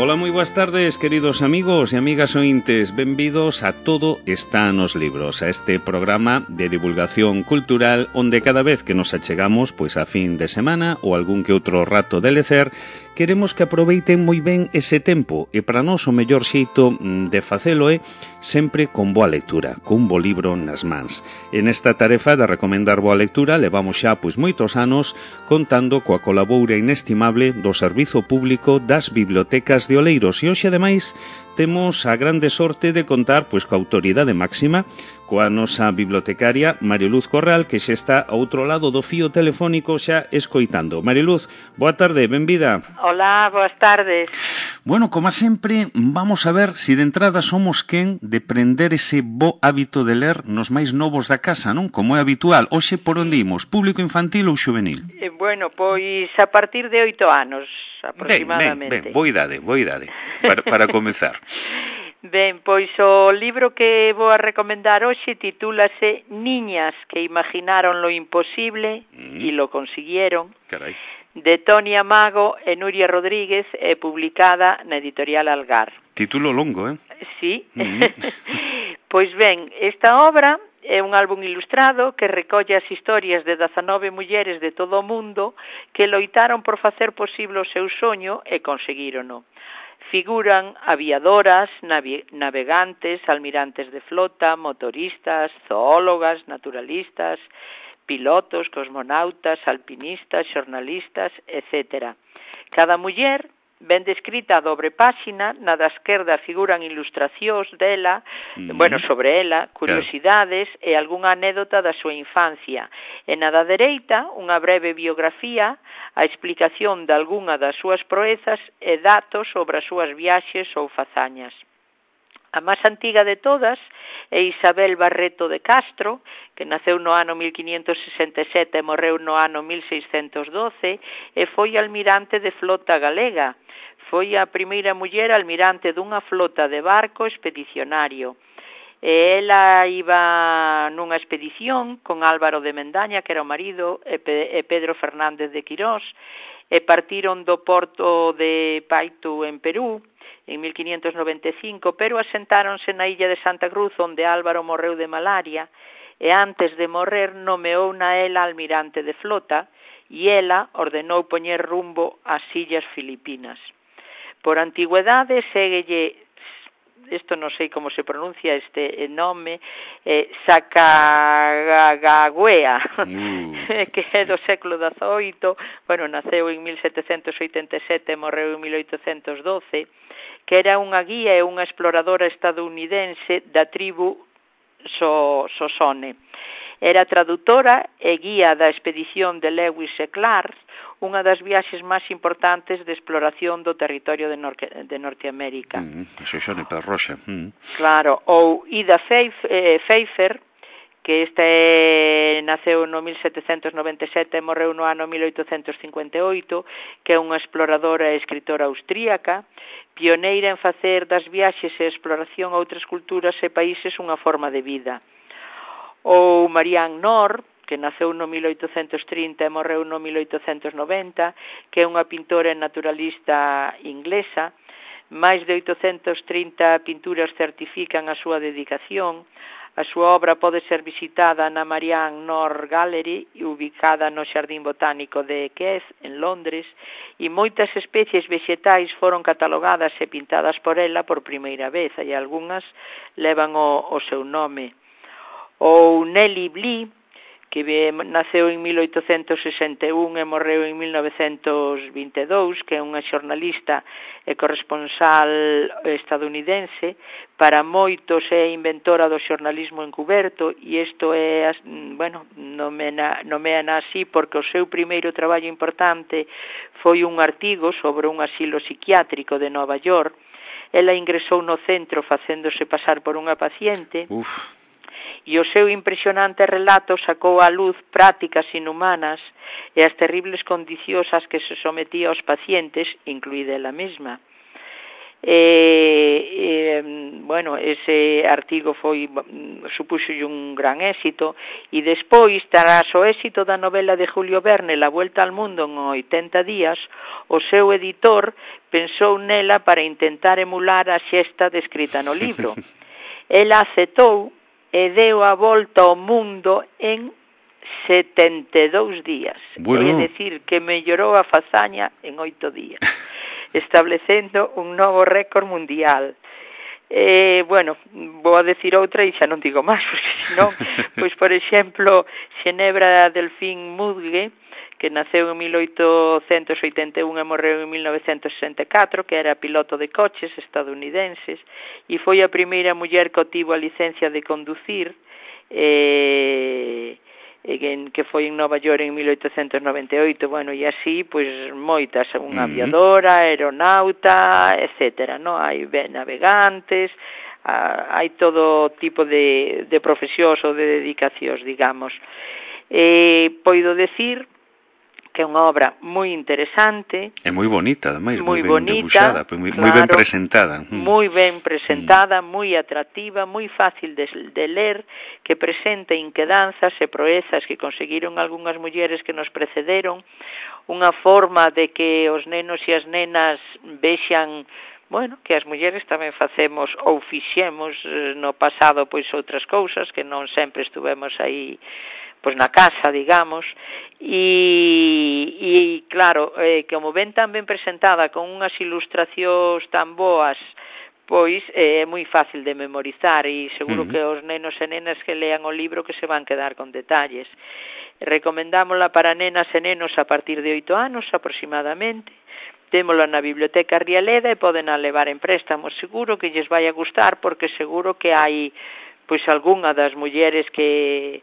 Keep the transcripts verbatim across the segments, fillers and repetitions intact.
Ola, moi boas tardes, queridos amigos e amigas ointes. Benvidos a Todo está nos libros, a este programa de divulgación cultural onde cada vez que nos achegamos pois a fin de semana ou algún que outro rato de lecer, queremos que aproveiten moi ben ese tempo e para nós o mellor xeito de facelo é sempre con boa lectura, cun bo libro nas mans. En esta tarefa de recomendar boa lectura levamos xa pois moitos anos contando coa colaboración inestimable do Servizo Público das Bibliotecas de Oleiros e hoxe ademais temos a grande sorte de contar pois coa autoridade máxima, coa nosa bibliotecaria Marioluz Corral, que xa está ao outro lado do fío telefónico xa escoitando. Marioluz, boa tarde, benvida. Hola, boas tardes. Bueno, como sempre, vamos a ver se si de entrada somos quen de prender ese bo hábito de ler nos máis novos da casa, non? Como é habitual. Hoxe por onde imos? Público infantil ou xuvenil? Eh, bueno, pois a partir de oito anos, aproximadamente. Ben, ben, ben, boa idade, boa idade, para, para comezar. Ben, pois o libro que vou a recomendar hoxe titúlase Niñas que imaginaron lo imposible mm. y lo consiguieron. Carai. De Toni Amago e Nuria Rodríguez e publicada na editorial Algar. Título longo, eh? Sí. Mm. Pois ben, esta obra é un álbum ilustrado que recolle as historias de dezanove mulleres de todo o mundo que loitaron por facer posible o seu soño e conseguírono. Figuran aviadoras, navegantes, almirantes de flota, motoristas, zoólogas, naturalistas, pilotos, cosmonautas, alpinistas, xornalistas, etcétera. Cada muller ben descrita a dobre páxina, na da esquerda figuran ilustracións dela, mm-hmm. bueno, sobre ela, curiosidades claro. E algunha anécdota da súa infancia. E na da dereita, unha breve biografía, a explicación de algunha das súas proezas e datos sobre as súas viaxes ou fazañas. A máis antiga de todas é Isabel Barreto de Castro, que naceu no ano mil quinhentos sesenta e sete e morreu no ano mil seiscentos doce, e foi almirante de flota galega. Foi a primeira muller almirante dunha flota de barco expedicionario. E ela iba nunha expedición con Álvaro de Mendaña, que era o marido, e Pedro Fernández de Quirós, e partiron do porto de Paitu, en Perú, en mil quinhentos noventa e cinco, pero asentáronse na illa de Santa Cruz, onde Álvaro morreu de malaria, e antes de morrer nomeou na ela almirante de flota, e ela ordenou poñer rumbo ás illas Filipinas. Por antigüedade, séguelle, isto non sei como se pronuncia este nome, eh, Sacagawea, mm. que é do século dezoito, bueno, naceu en mil setecentos oitenta e sete e morreu en mil oitocentos doce, que era unha guía e unha exploradora estadounidense da tribu so, Sosone. Era traductora e guía da expedición de Lewis e Clark, unha das viaxes máis importantes de exploración do territorio de, Norte, de Norteamérica. Mm, eso xa ne perroxa. Mm. Claro, ou Ida Pfeiffer, que este naceu no mil setecentos noventa e sete e morreu no ano mil oitocentos cincuenta e oito, que é unha exploradora e escritora austríaca, pioneira en facer das viaxes e exploración a outras culturas e países unha forma de vida. Ou Marianne Nord, que naceu no mil oitocentos trinta e morreu no mil oitocentos noventa, que é unha pintora e naturalista inglesa. Máis de oitocentas trinta pinturas certifican a súa dedicación. A súa obra pode ser visitada na Marianne Nord Gallery, ubicada no Xardín Botánico de Kew, en Londres, e moitas especies vegetais foron catalogadas e pintadas por ela por primeira vez, e algunhas levan o, o seu nome. Ou Nellie Bly, que naceu en mil oitocentos sesenta e un e morreu en mil novecentos vinte e dous, que é unha xornalista e corresponsal estadounidense. Para moitos é inventora do xornalismo encuberto, e isto é, bueno, nomeana así porque o seu primeiro traballo importante foi un artigo sobre un asilo psiquiátrico de Nova York. Ela ingresou no centro facéndose pasar por unha paciente. Uf. E o seu impresionante relato sacou á luz prácticas inhumanas e as terribles condicións ás que se sometía aos pacientes, incluída ela mesma. E, e, bueno, ese artigo foi supuxo un gran éxito, e despois, tras o éxito da novela de Julio Verne, La Vuelta al Mundo en oitenta días, o seu editor pensou nela para intentar emular a xesta descrita no libro. Ela aceptou e deu a volta ao mundo en setenta e dous días. Bueno. É dicir, que mellorou a fazaña en oito días, establecendo un novo récord mundial. Eh, bueno, vou a decir outra e xa non digo máis, porque senón, pois, por exemplo, Xenebra Delfín Mudge, que naceu en mil oitocentos oitenta e un e morreu en mil novecentos sesenta e catro, que era piloto de coches estadounidenses, e foi a primeira muller que obtivo a licencia de conducir, eh... que foi en Nova York en mil oitocentos noventa e oito, bueno, e así, pois, moitas, unha aviadora, aeronauta, etcétera, no? Hai navegantes, hai todo tipo de, de profesións ou de dedicacións, digamos. Eh, poido decir que é unha obra moi interesante. É moi bonita, ademais, moi ben bonita, debuxada, moi, claro, moi ben presentada. Moi ben presentada, mm. moi atractiva, moi fácil de, de ler, que presenta inquedanzas e proezas que conseguiron algunhas mulleres que nos precederon, unha forma de que os nenos e as nenas vexan, bueno, que as mulleres tamén facemos ou fixemos no pasado pois outras cousas, que non sempre estuvemos aí pois na casa, digamos, e, e claro, eh, como ven tan ben presentada con unhas ilustracións tan boas, pois eh, é moi fácil de memorizar e seguro uh-huh. que os nenos e nenas que lean o libro que se van quedar con detalles. Recomendámola para nenas e nenos a partir de oito anos aproximadamente. Témola na Biblioteca Rialeda e poden a levar en préstamo. Seguro que lles vai a gustar porque seguro que hai pois algunha das mulleres que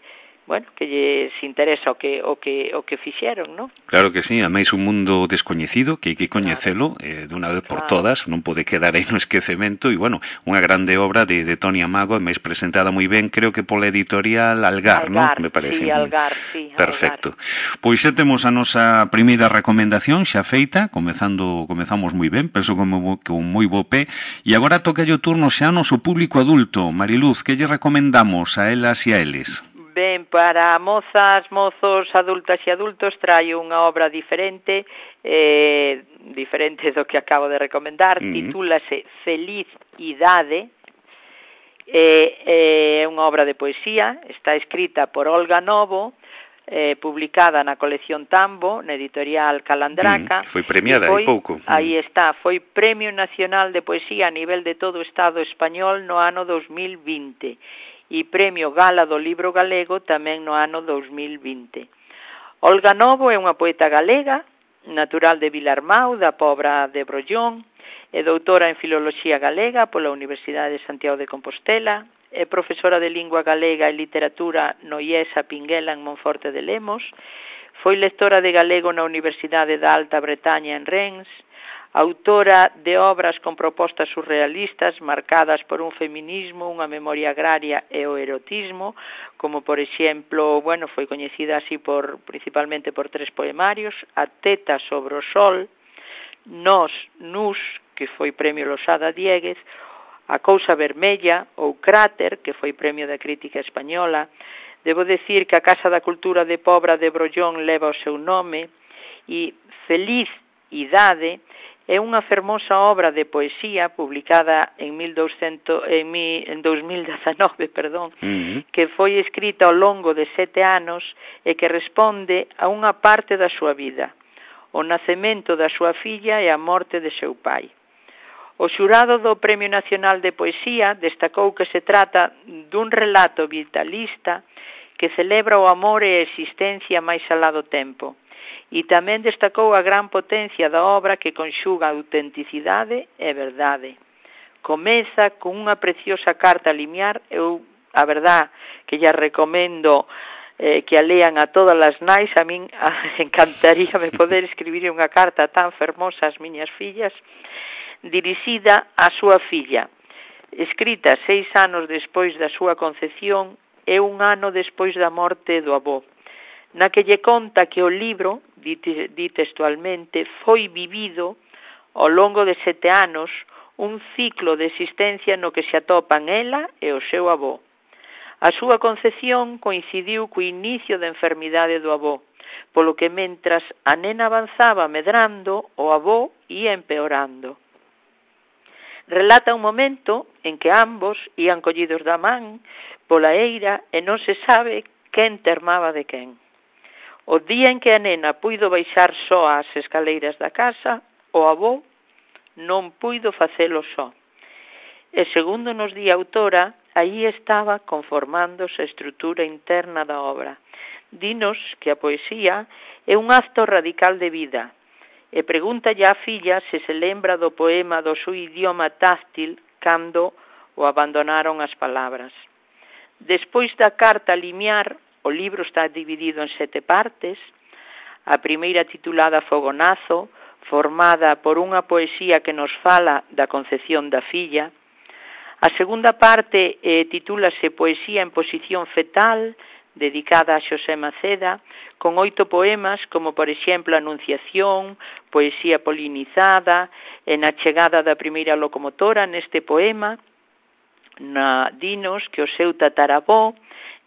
bueno, que lles interesa o que o que o que fixeron, ¿no? Claro que sí, ademais un mundo descoñecido que hai que coñecelo claro. eh, de unha vez por claro. todas, non pode quedar aí no esquecemento e bueno, unha grande obra de de Toni Amago, ademais presentada moi ben, creo que pola editorial Algar, Algar, ¿no? Me parece. Sí, Algar, sí, perfecto. Algar. Pois xa temos a nosa primeira recomendación xa feita, comezando comezamos moi ben, penso como con moi bo pé, e agora toca o turno xa ao noso público adulto. Mariluz, que lle recomendamos a elas e a eles? Ben, para mozas, mozos, adultas e adultos traio unha obra diferente, eh, diferente do que acabo de recomendar, uh-huh. titúlase Feliz Idade, é eh, unha obra de poesía, está escrita por Olga Novo, eh, publicada na colección Tambo, na editorial Calandraca. Uh-huh. Foi premiada hai pouco. Uh-huh. Aí está, foi Premio Nacional de Poesía a nivel de todo o Estado español no ano dos mil vinte. E Premio Gala do Libro Galego tamén no ano dos mil vinte. Olga Novo é unha poeta galega, natural de Vilarmau, da Pobra de Brollón, é doutora en Filoloxía Galega pola Universidade de Santiago de Compostela, é profesora de Lingua Galega e Literatura no I E S A Pinguela en Monforte de Lemos, foi lectora de galego na Universidade da Alta Bretaña en Rennes, autora de obras con propostas surrealistas marcadas por un feminismo, unha memoria agraria e o erotismo, como por exemplo, bueno, foi coñecida así por principalmente por tres poemarios, A teta sobre o sol, Nós, Nus, que foi premio Losada Dieguez, A cousa vermella ou Cráter, que foi premio da crítica española. Debo decir que a Casa da Cultura de Pobra de Brollón leva o seu nome e Feliz Idade é unha fermosa obra de poesía publicada en, mil doscientos, en, mi, en dos mil dezanove, perdón, uh-huh. que foi escrita ao longo de sete anos e que responde a unha parte da súa vida, o nacemento da súa filla e a morte de seu pai. O xurado do Premio Nacional de Poesía destacou que se trata dun relato vitalista que celebra o amor e a existencia máis alá do tempo. E tamén destacou a gran potencia da obra que conxuga autenticidade e verdade. Comeza con unha preciosa carta limiar, eu, a verdad, que ya recomendo eh, que a lean a todas as nais, a min a, encantaríame poder escribir unha carta tan fermosa ás miñas fillas, dirixida á súa filla, escrita seis anos despois da súa concepción e un ano despois da morte do avó, na que lle conta que o libro, di textualmente, foi vivido ao longo de sete anos un ciclo de existencia no que se atopan ela e o seu avó. A súa concepción coincidiu co inicio da enfermidade do avó, polo que mentras a nena avanzaba medrando, o avó ia empeorando. Relata un momento en que ambos ían collidos da man pola eira e non se sabe quen termaba de quen. O día en que a nena puido baixar só as escaleiras da casa, o avó non puido facelo só. E segundo nos di a autora, aí estaba conformándose a estrutura interna da obra. Dinos que a poesía é un acto radical de vida, e pregúntalle á filla se se lembra do poema do seu idioma táctil cando o abandonaron as palabras. Despois da carta limiar, o libro está dividido en sete partes. A primeira titulada Fogonazo, formada por unha poesía que nos fala da concepción da filla. A segunda parte eh, titúlase Poesía en posición fetal, dedicada a Xosé Maceda, con oito poemas, como por exemplo Anunciación, Poesía polinizada, e na chegada da primeira locomotora neste poema, na dinos que o seu tataravó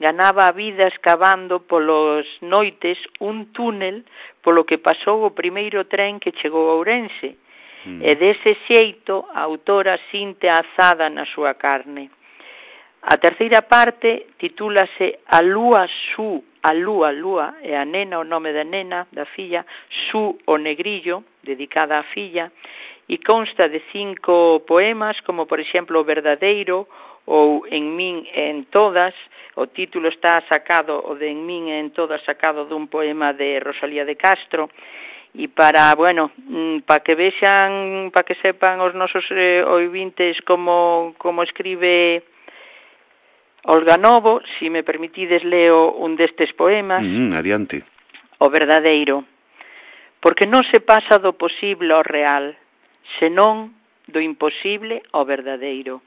ganaba a vida escavando polos noites un túnel polo que pasou o primeiro tren que chegou a Ourense, mm. e dese xeito a autora sinte a azada na súa carne. A terceira parte titúlase A lúa Su, a lúa, lúa, e a nena, o nome da nena, da filla, Su o negrillo, dedicada á filla, e consta de cinco poemas, como por exemplo O verdadeiro, ou En min e en todas. O título está sacado, o de En min e en todas, sacado dun poema de Rosalía de Castro. E para, bueno, para que vexan, para que sepan os nosos eh, ouvintes como, como escribe Olga Novo, si me permitides leo un destes poemas. Mm, adiante. O verdadeiro. Porque non se pasa do posible ao real, senón do imposible ao verdadeiro.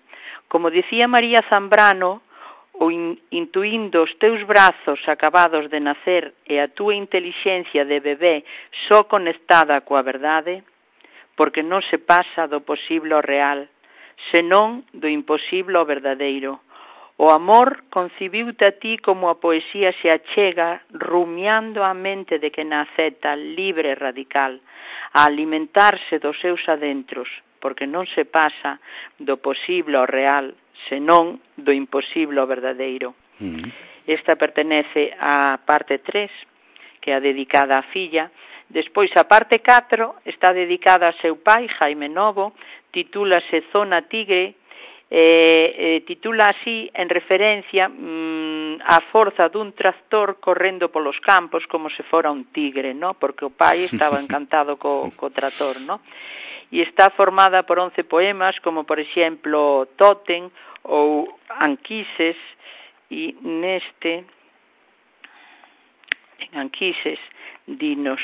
Como dicía María Zambrano, o in, intuindo os teus brazos acabados de nacer e a túa intelixencia de bebé só conectada coa verdade, porque non se pasa do posible ao real, senón do imposible ao verdadeiro. O amor concibiute a ti como a poesía se achega, rumiando a mente de que naceta libre e radical, a alimentarse dos seus adentros, porque non se pasa do posible ao real, senón do imposible ao verdadeiro. Mm. Esta pertenece á parte tres, que é a dedicada á filla. Despois, a parte catro está dedicada a seu pai, Jaime Novo, titúlase Zona Tigre, eh, eh, titula así en referencia mm, á forza dun tractor correndo polos campos como se fora un tigre, ¿no? Porque o pai estaba encantado co, co tractor, ¿no? E está formada por once poemas, como por exemplo Tótem ou Anquises, e neste en Anquises dinos,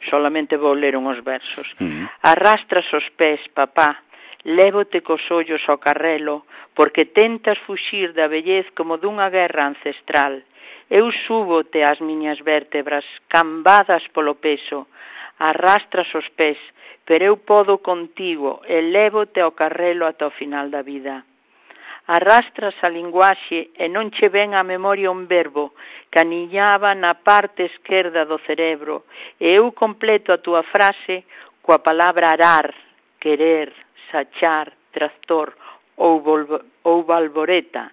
solamente vou ler uns versos. Mm. Arrastras os pés, papá, lévote cos ollos ao carrelo, porque tentas fuxir da vellez como dunha guerra ancestral. Eu súbote as miñas vértebras, cambadas polo peso, arrastras os pés, pero eu podo contigo e lévote ao carrelo ata o final da vida. Arrastras a linguaxe e non che ven a memoria un verbo que aniñaba na parte esquerda do cerebro, e eu completo a túa frase coa palabra arar, querer, sachar, tractor ou, ou valvoreta.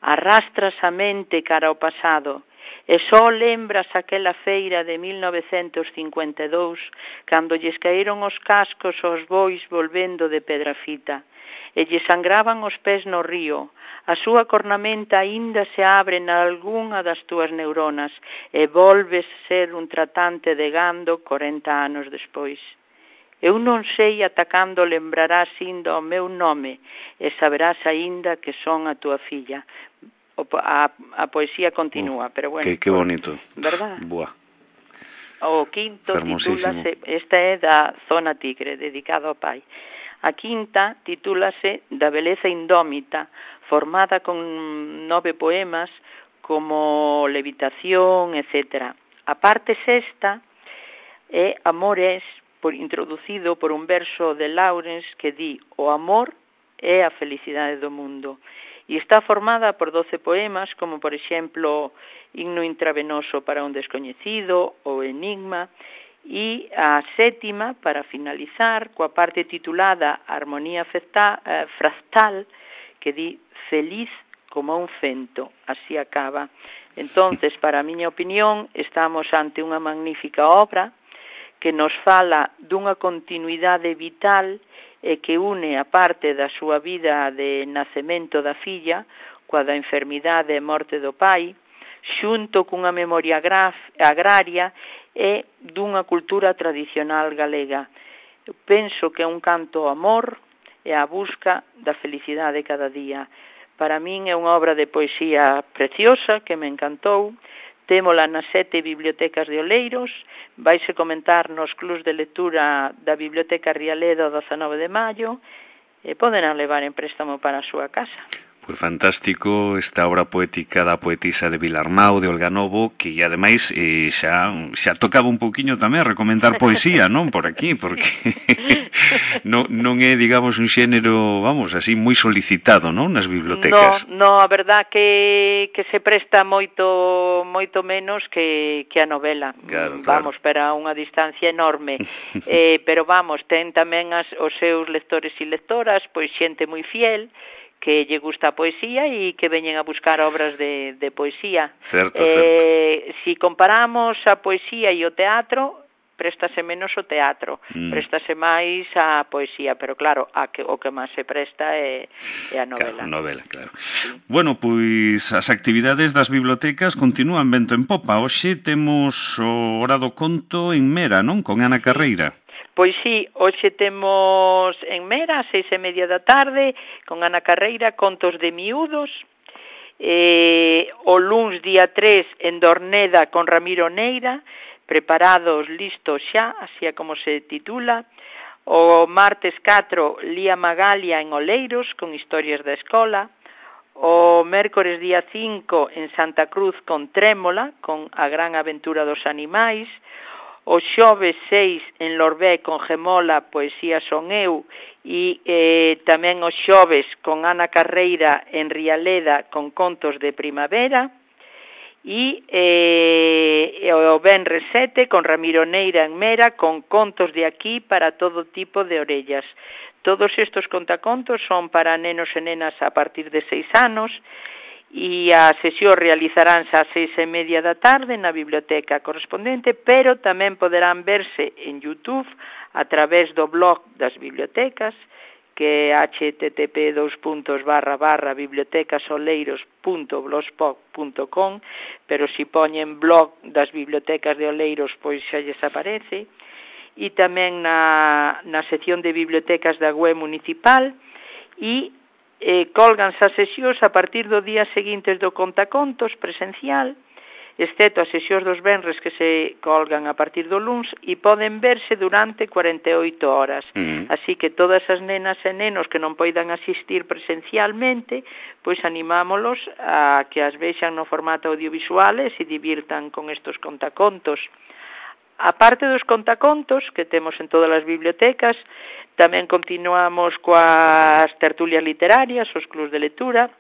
Arrastras a mente cara ao pasado e só lembras aquela feira de mil novecentos cincuenta e dous cando lles caíron os cascos aos bois volvendo de Pedrafita e lle sangraban os pés no río. A súa cornamenta aínda se abre nalgunha das túas neuronas e volves ser un tratante de gando corenta anos despois. Eu non sei ata cando lembrarás indo ao meu nome e saberás aínda que son a túa filla. O, a, a poesía continúa, oh, pero bueno. Que, que bonito. ¿Verdad? Buah. O quinto titúlase, esta é da Zona Tigre, dedicado ao pai. A quinta titúlase Da beleza indómita, formada con nove poemas como Levitación, etcétera. A parte sexta é Amores, por, introducido por un verso de Lawrence que di: o amor é a felicidade do mundo. E está formada por doce poemas, como por exemplo Himno intravenoso para un descoñecido ou Enigma, e a sétima, para finalizar, coa parte titulada Armonía fractal, que di: feliz como un fento. Así acaba. Entonces, para a miña opinión, estamos ante unha magnífica obra que nos fala dunha continuidade vital e que une a parte da súa vida de nacemento da filla coa da enfermidade e morte do pai, xunto cunha memoria agraria e dunha cultura tradicional galega. Eu penso que é un canto ao amor e á busca da felicidade cada día. Para min é unha obra de poesía preciosa que me encantou. Témola nas sete bibliotecas de Oleiros, vaise comentar nos clubs de lectura da Biblioteca Rialeda o dezanove de maio e poden levar en préstamo para a súa casa. Pois fantástico esta obra poética da poetisa de Vilarmau, de Olga Novo, que ademais eh, xa, xa tocaba un pouquiño tamén a recomendar poesía, non? Por aquí, porque non, non é, digamos, un xénero, vamos, así, moi solicitado, non? Nas bibliotecas. No, no, a verdad que, que se presta moito moito menos que, que a novela. Claro, vamos, claro. para unha distancia enorme. eh, pero vamos, ten tamén as, os seus lectores e lectoras, pois xente moi fiel, que lle gusta a poesía e que veñen a buscar obras de, de poesía. Certo, eh, certo. Si comparamos a poesía e o teatro, préstase menos o teatro, mm. préstase máis a poesía, pero claro, a que, o que máis se presta é, é a novela. Claro, novela, claro. Sí. Bueno, pois as actividades das bibliotecas continúan vento en popa. Hoxe temos o Hora do Conto en Mera, non? Con Ana Carreira. Pois sí, hoxe temos en Mera, a seis e media da tarde, con Ana Carreira, Contos de Miúdos. Eh, o luns día tres en Dorneda con Ramiro Neira, Preparados, listos xa, así é como se titula. O martes catro, Lía Magalia en Oleiros, con historias da escola. O mércores día cinco en Santa Cruz con Trémola, con A gran aventura dos animais. O xoves seis en Lorbé con Gemola, Poesía son eu, e eh, tamén o xoves con Ana Carreira en Rialeda con Contos de Primavera, e eh, o venres sete con Ramiro Neira en Mera con Contos de aquí para todo tipo de orellas. Todos estos contacontos son para nenos e nenas a partir de seis anos, e a sesión realizaránse ás seis e media da tarde na biblioteca correspondente, pero tamén poderán verse en YouTube a través do blog das bibliotecas, que é h t t p dos puntos barra barra bibliotecasoleiros punto blogspot punto com, pero si poñen blog das bibliotecas de Oleiros, pois xa lles aparece, e tamén na, na sección de bibliotecas da web municipal, e Eh, colganse as sesións a partir do día seguintes do contacontos presencial, excepto as sesións dos venres que se colgan a partir do luns, e poden verse durante cuarenta e oito horas. Mm. Así que todas as nenas e nenos que non poidan asistir presencialmente, pois animámolos a que as vexan no formato audiovisual e se divirtan con estos contacontos. A parte dos contacontos que temos en todas as bibliotecas, tamén continuamos coas tertulias literarias, os clubs de lectura,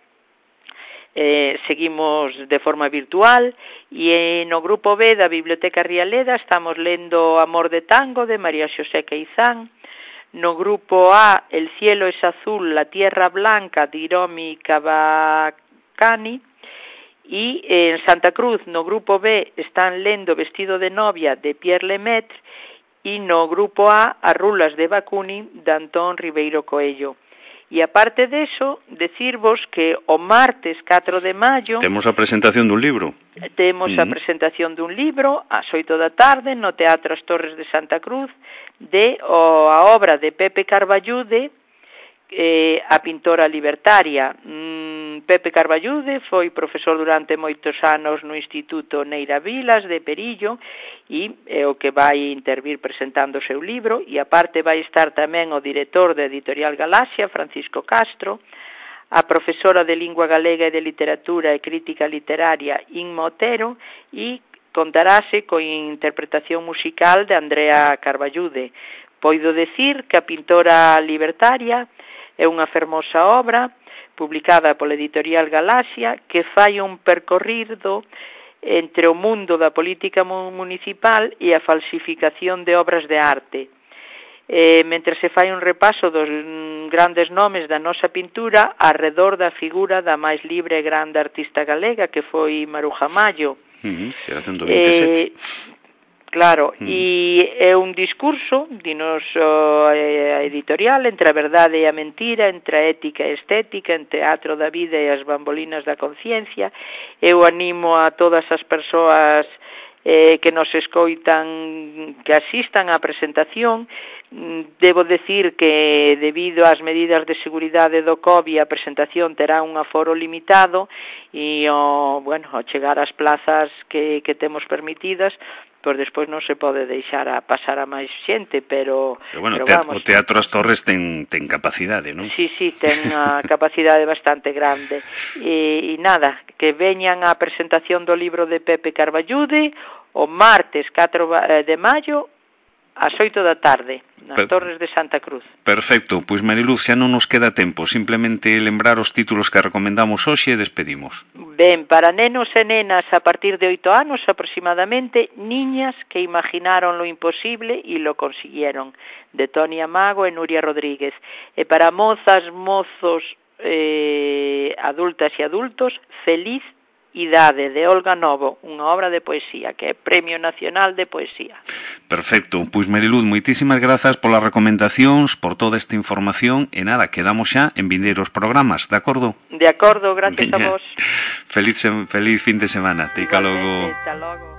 eh, seguimos de forma virtual, e no grupo B da Biblioteca Rialeda estamos lendo Amor de Tango, de María Xosé Queizán. No grupo A, El cielo es azul, la tierra blanca, de Hiromi Kawakami. E en Santa Cruz, no grupo B, están lendo Vestido de novia, de Pierre Lemaitre, e no grupo A, As rulas de Bakunin, de Antón Ribeiro Coello. E aparte deso, decirvos que o martes catro de maio temos a presentación dun libro. Temos mm. a presentación dun libro ás oito da tarde no Teatro As Torres de Santa Cruz, de o, a obra de Pepe Carballude, eh, a pintora libertaria. Mm, Pepe Carballude foi profesor durante moitos anos no Instituto Neira Vilas de Perillo, e é o que vai intervir presentando o seu libro, e aparte vai estar tamén o director da Editorial Galaxia, Francisco Castro, a profesora de Lingua Galega e de Literatura e Crítica Literaria, Inma Otero, e contarase coa interpretación musical de Andrea Carballude. Poido decir que a pintora libertaria é unha fermosa obra publicada pola editorial Galaxia que fai un percorrido entre o mundo da política municipal e a falsificación de obras de arte. Eh, mentre se fai un repaso dos grandes nomes da nosa pintura arredor da figura da máis libre e grande artista galega que foi Maruja Mallo. Uh-huh, xeración do veintesete. Eh, Claro, mm. e é un discurso, dinos a editorial, entre a verdade e a mentira, entre a ética e a estética, entre teatro da vida e as bambolinas da conciencia. Eu animo a todas as persoas eh, que nos escoitan que asistan á presentación. Debo decir que debido ás medidas de seguridade do COVID a presentación terá un aforo limitado e o, bueno, ao chegar ás plazas que, que temos permitidas, pois despois non se pode deixar a pasar a máis xente, pero... Pero bueno, pero teatro, vamos, o Teatro As Torres ten, ten capacidade, non? Sí, sí, ten a capacidade bastante grande. E, e nada, que veñan á presentación do libro de Pepe Carballude o martes catro de maio ás oito da tarde, nas per... Torres de Santa Cruz. Perfecto, pois Mariluz, xa non nos queda tempo, simplemente lembrar os títulos que recomendamos hoxe e despedimos. Ben, para nenos e nenas a partir de oito anos aproximadamente, Niñas que imaginaron lo imposible e lo consiguieron, de Toni Amago e Nuria Rodríguez. E para mozas, mozos, eh, adultas e adultos, Feliz Idade, de Olga Novo, unha obra de poesía, que é Premio Nacional de Poesía. Perfecto, pois Mariluz, moitísimas grazas polas recomendacións, por toda esta información, e nada, quedamos xa en vindeiros programas, de acordo? De acordo, gracias a vos. Feliz, feliz fin de semana, te logo. Igualmente, hasta logo.